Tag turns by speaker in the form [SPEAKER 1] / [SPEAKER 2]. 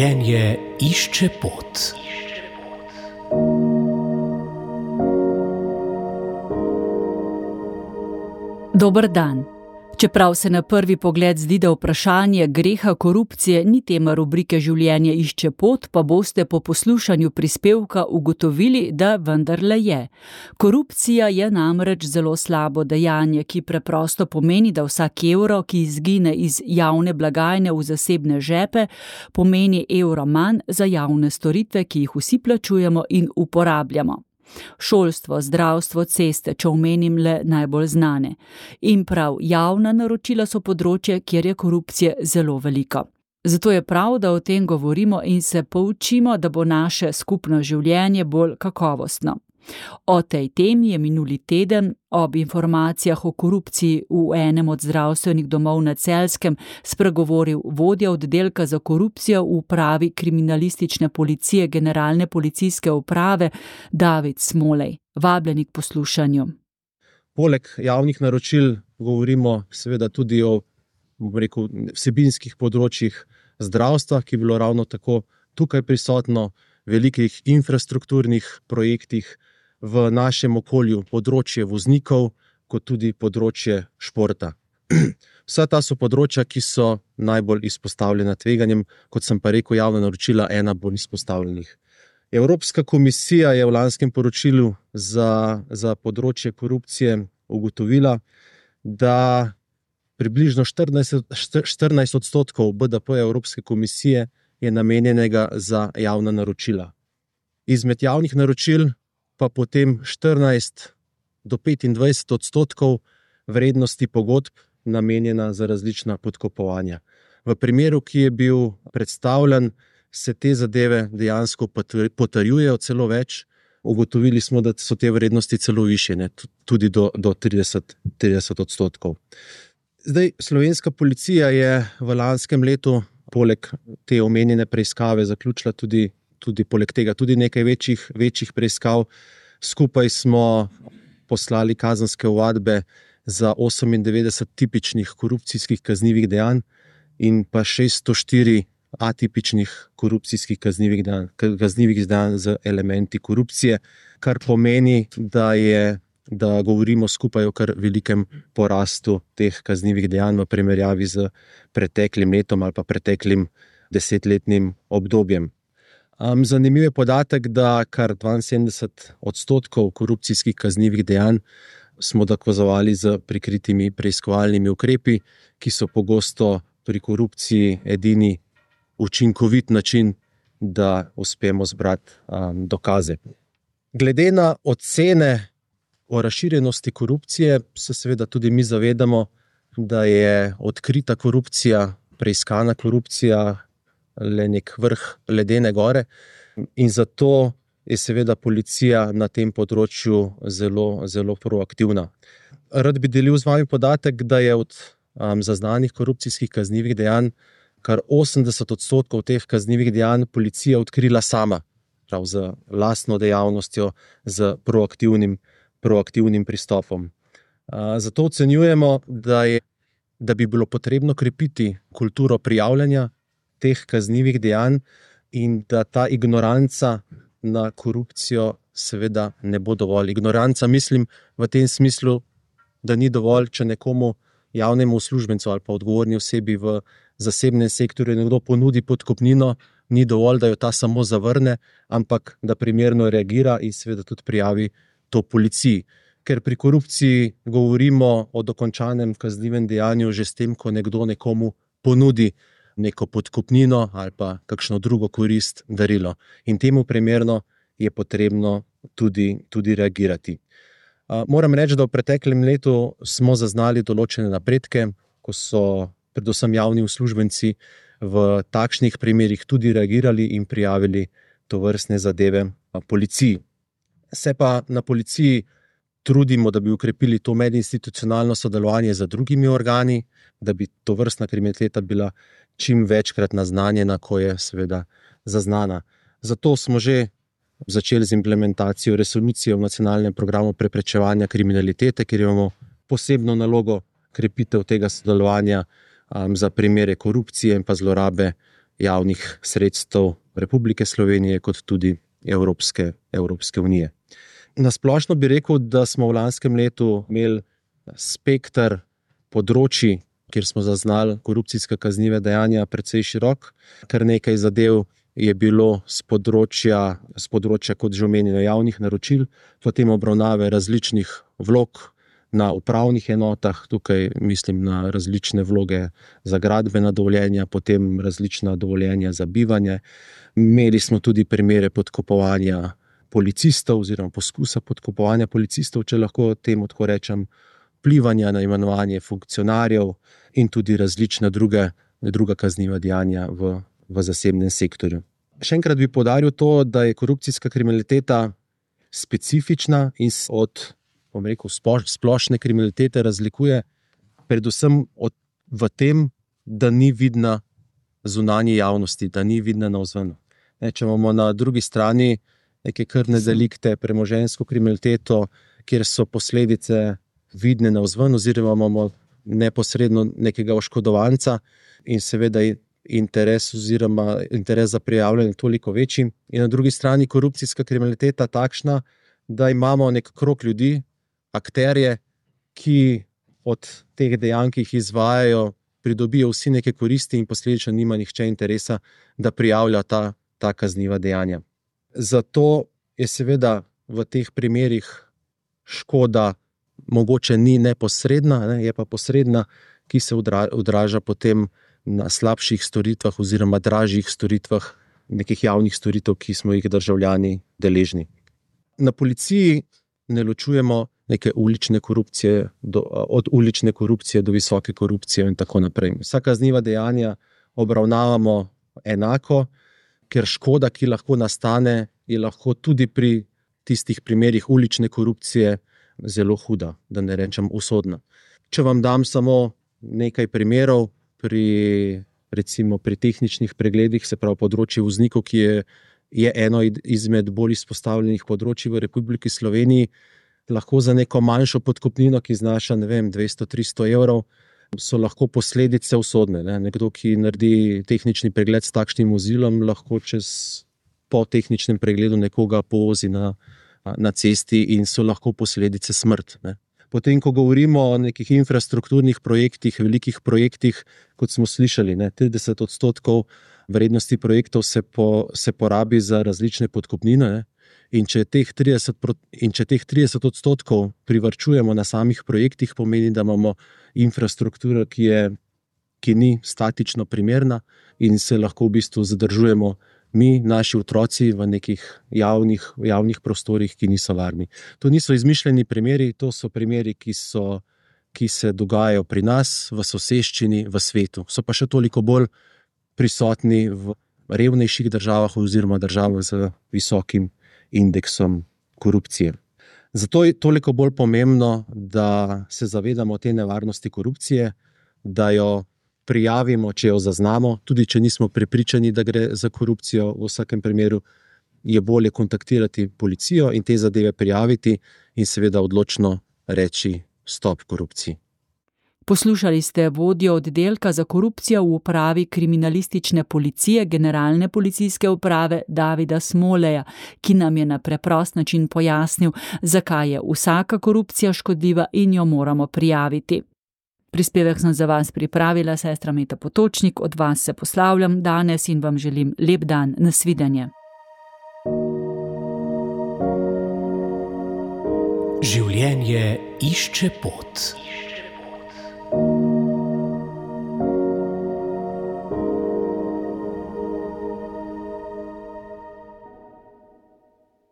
[SPEAKER 1] Življenje išče pot.
[SPEAKER 2] Dober dan. Čeprav se na prvi pogled zdi, da vprašanje greha korupcije ni tema rubrike Življenje išče pot, pa boste po poslušanju prispevka ugotovili, da vendarle je. Korupcija je namreč zelo slabo dejanje, ki preprosto pomeni, da vsak evro, ki izgine iz javne blagajne v zasebne žepe, pomeni evro manj za javne storitve, ki jih vsi plačujemo in uporabljamo. Šolstvo, zdravstvo, ceste, če omenim le najbolj znane. In prav javna naročila so področje, kjer je korupcije zelo veliko. Zato je prav, da o tem govorimo in se poučimo, da bo naše skupno življenje bolj kakovostno. O tej temi je minuli teden ob informacijah o korupciji v enem od zdravstvenih domov na Celjskem spregovoril vodja oddelka za korupcijo v upravi kriminalistične policije Generalne policijske uprave David Smolej. Vabljeni k poslušanju.
[SPEAKER 3] Poleg javnih naročil govorimo seveda tudi o vsebinskih področjih zdravstva, ki je bilo ravno tako tukaj prisotno, velikih infrastrukturnih projektih v našem okolju, področje voznikov, kot tudi področje športa. Vsa ta so področja, ki so najbolj izpostavljena tveganjem, kot sem pa rekel, javna naročila ena bolj izpostavljenih. Evropska komisija je v lanskem poročilu za področje korupcije ugotovila, da približno 14% BDP Evropske komisije je namenjenega za javna naročila. Izmed javnih naročil pa potem 14 do 25% vrednosti pogodb namenjena za različna podkupovanja. V primeru, ki je bil predstavljen, se te zadeve dejansko potrjujejo celo več. Ugotovili smo, da so te vrednosti celo višje, tudi do 30%. Zdaj, slovenska policija je v lanskem letu poleg te omenjene preiskave zaključila tudi poleg tega tudi nekaj večjih preiskav. Skupaj smo poslali kazenske ovadbe za 98 tipičnih korupcijskih kaznivih dejanj in pa 604 atipičnih korupcijskih kaznivih dejanj z elementi korupcije, kar pomeni, da govorimo skupaj o kar velikem porastu teh kaznivih dejanj v primerjavi z preteklim letom ali pa preteklim 10-letnim obdobjem. Zanimiv je podatek, da kar 72% korupcijskih kaznivih dejanj smo dokazovali z prikritimi preiskovalnimi ukrepi, ki so pogosto pri korupciji edini učinkovit način, da uspemo zbrati dokaze. Glede na ocene o razširjenosti korupcije se seveda tudi mi zavedamo, da je odkrita korupcija, preiskana korupcija le nek vrh ledene gore in zato je seveda policija na tem področju zelo, zelo proaktivna. Rad bi delil z vami podatek, da je od zaznanih korupcijskih kaznivih dejanj kar 80% teh kaznivih dejanj policija odkrila sama, prav z lastno dejavnostjo, z proaktivnim pristopom. Zato ocenjujemo, da bi bilo potrebno krepiti kulturo prijavljanja teh kaznivih dejanj in da ta ignoranca na korupcijo seveda ne bo dovolj. Ignoranca mislim v tem smislu, da ni dovolj, če nekomu javnemu uslužbencu ali pa odgovorni osebi v zasebnem sektorju nekdo ponudi podkupnino, ni dovolj, da jo ta samo zavrne, ampak da primerno reagira in seveda tudi prijavi to policiji. Ker pri korupciji govorimo o dokončanem kaznivem dejanju že s tem, ko nekdo nekomu ponudi neko podkupnino ali pa kakšno drugo korist, darilo. In temu primerno je potrebno tudi reagirati. Moram reči, da v preteklem letu smo zaznali določene napredke, ko so predvsem javni uslužbenci v takšnih primerih tudi reagirali in prijavili tovrstne zadeve policiji. Se pa na policiji trudimo, da bi ukrepili to medinstitucionalno sodelovanje z drugimi organi, da bi tovrstna kriminaliteta bila čim večkrat naznanjena, ko je seveda zaznana. Zato smo že začeli z implementacijo resolucije v nacionalnem programu preprečevanja kriminalitete, kjer imamo posebno nalogo krepitev tega sodelovanja za primere korupcije in pa zlorabe javnih sredstev Republike Slovenije kot tudi Evropske unije. Na splošno bi rekel, da smo v lanskem letu imeli spekter področji, kjer smo zaznali korupcijska kazniva dejanja, precej širok. Kar nekaj zadev je bilo z področja, kot že omenjeno, javnih naročil, potem obravnave različnih vlog na upravnih enotah, tukaj mislim na različne vloge za gradbena dovoljenja, potem različna dovoljenja za bivanje. Imeli smo tudi primere podkupovanja policistov oziroma poskusa podkupovanja policistov, če lahko temu tako rečem, vplivanja na imenovanje funkcionarjev in tudi različna druga kazniva dejanja v zasebnem sektorju. Še enkrat bi poudaril to, da je korupcijska kriminaliteta specifična in od splošne kriminalitete razlikuje predvsem v tem, da ni vidna zunanji javnosti, da ni vidna navzven. Če imamo na drugi strani neke krvne delikte, premoženjsko kriminaliteto, kjer so posledice vidne navzven, oziroma imamo neposredno nekega oškodovanca in seveda interes za prijavljanje toliko večji. In na drugi strani korupcijska kriminaliteta takšna, da imamo nek krog ljudi, akterje, ki od teh dejanj, ki jih izvajajo, pridobijo vsi neke koristi in posledično nima nihče interesa, da prijavlja ta kazniva dejanja. Zato je seveda v teh primerih škoda mogoče ni neposredna, je pa posredna, ki se odraža potem na slabših storitvah oziroma dražjih storitvah nekih javnih storitev, ki smo jih državljani deležni. Na policiji ne ločujemo neke ulične korupcije od ulične korupcije do visoke korupcije in tako naprej. Vsa kazniva dejanja obravnavamo enako, ker škoda, ki lahko nastane, je lahko tudi pri tistih primerih ulične korupcije zelo huda, da ne rečem usodna. Če vam dam samo nekaj primerov, recimo pri tehničnih pregledih, se pravi področje voznikov, ki je eno izmed bolj izpostavljenih področij v Republiki Sloveniji, lahko za neko manjšo podkupnino, ki znaša 200-300 evrov, so lahko posledice usodne. Nekdo, ki naredi tehnični pregled s takšnim vozilom, lahko po tehničnem pregledu nekoga povozi na cesti in so lahko posledice smrt. Potem, ko govorimo o nekih infrastrukturnih projektih, velikih projektih, kot smo slišali, 30% vrednosti projektov se porabi za različne podkupnine. In če teh 30% privarčujemo na samih projektih, pomeni, da imamo infrastrukturo, ki ni statično primerna in se lahko v bistvu zadržujemo mi, naši otroci v nekih javnih prostorih, ki niso varni. To niso izmišljeni primeri, to so primeri, ki se dogajajo pri nas, v soseščini, v svetu. So pa še toliko bolj prisotni v revnejših državah oziroma državah z visokim indeksom korupcije. Zato je toliko bolj pomembno, da se zavedamo te nevarnosti korupcije, da jo prijavimo, če jo zaznamo, tudi če nismo prepričani, da gre za korupcijo. V vsakem primeru je bolje kontaktirati policijo in te zadeve prijaviti in seveda odločno reči stop korupciji.
[SPEAKER 2] Poslušali ste vodjo oddelka za korupcijo v upravi kriminalistične policije Generalne policijske uprave Davida Smoleja, ki nam je na preprost način pojasnil, zakaj je vsaka korupcija škodljiva in jo moramo prijaviti. Prispevek sem za vas pripravila sestra Meta Potočnik, od vas se poslavljam danes in vam želim lep dan, nasvidenje.
[SPEAKER 1] Življenje išče pot.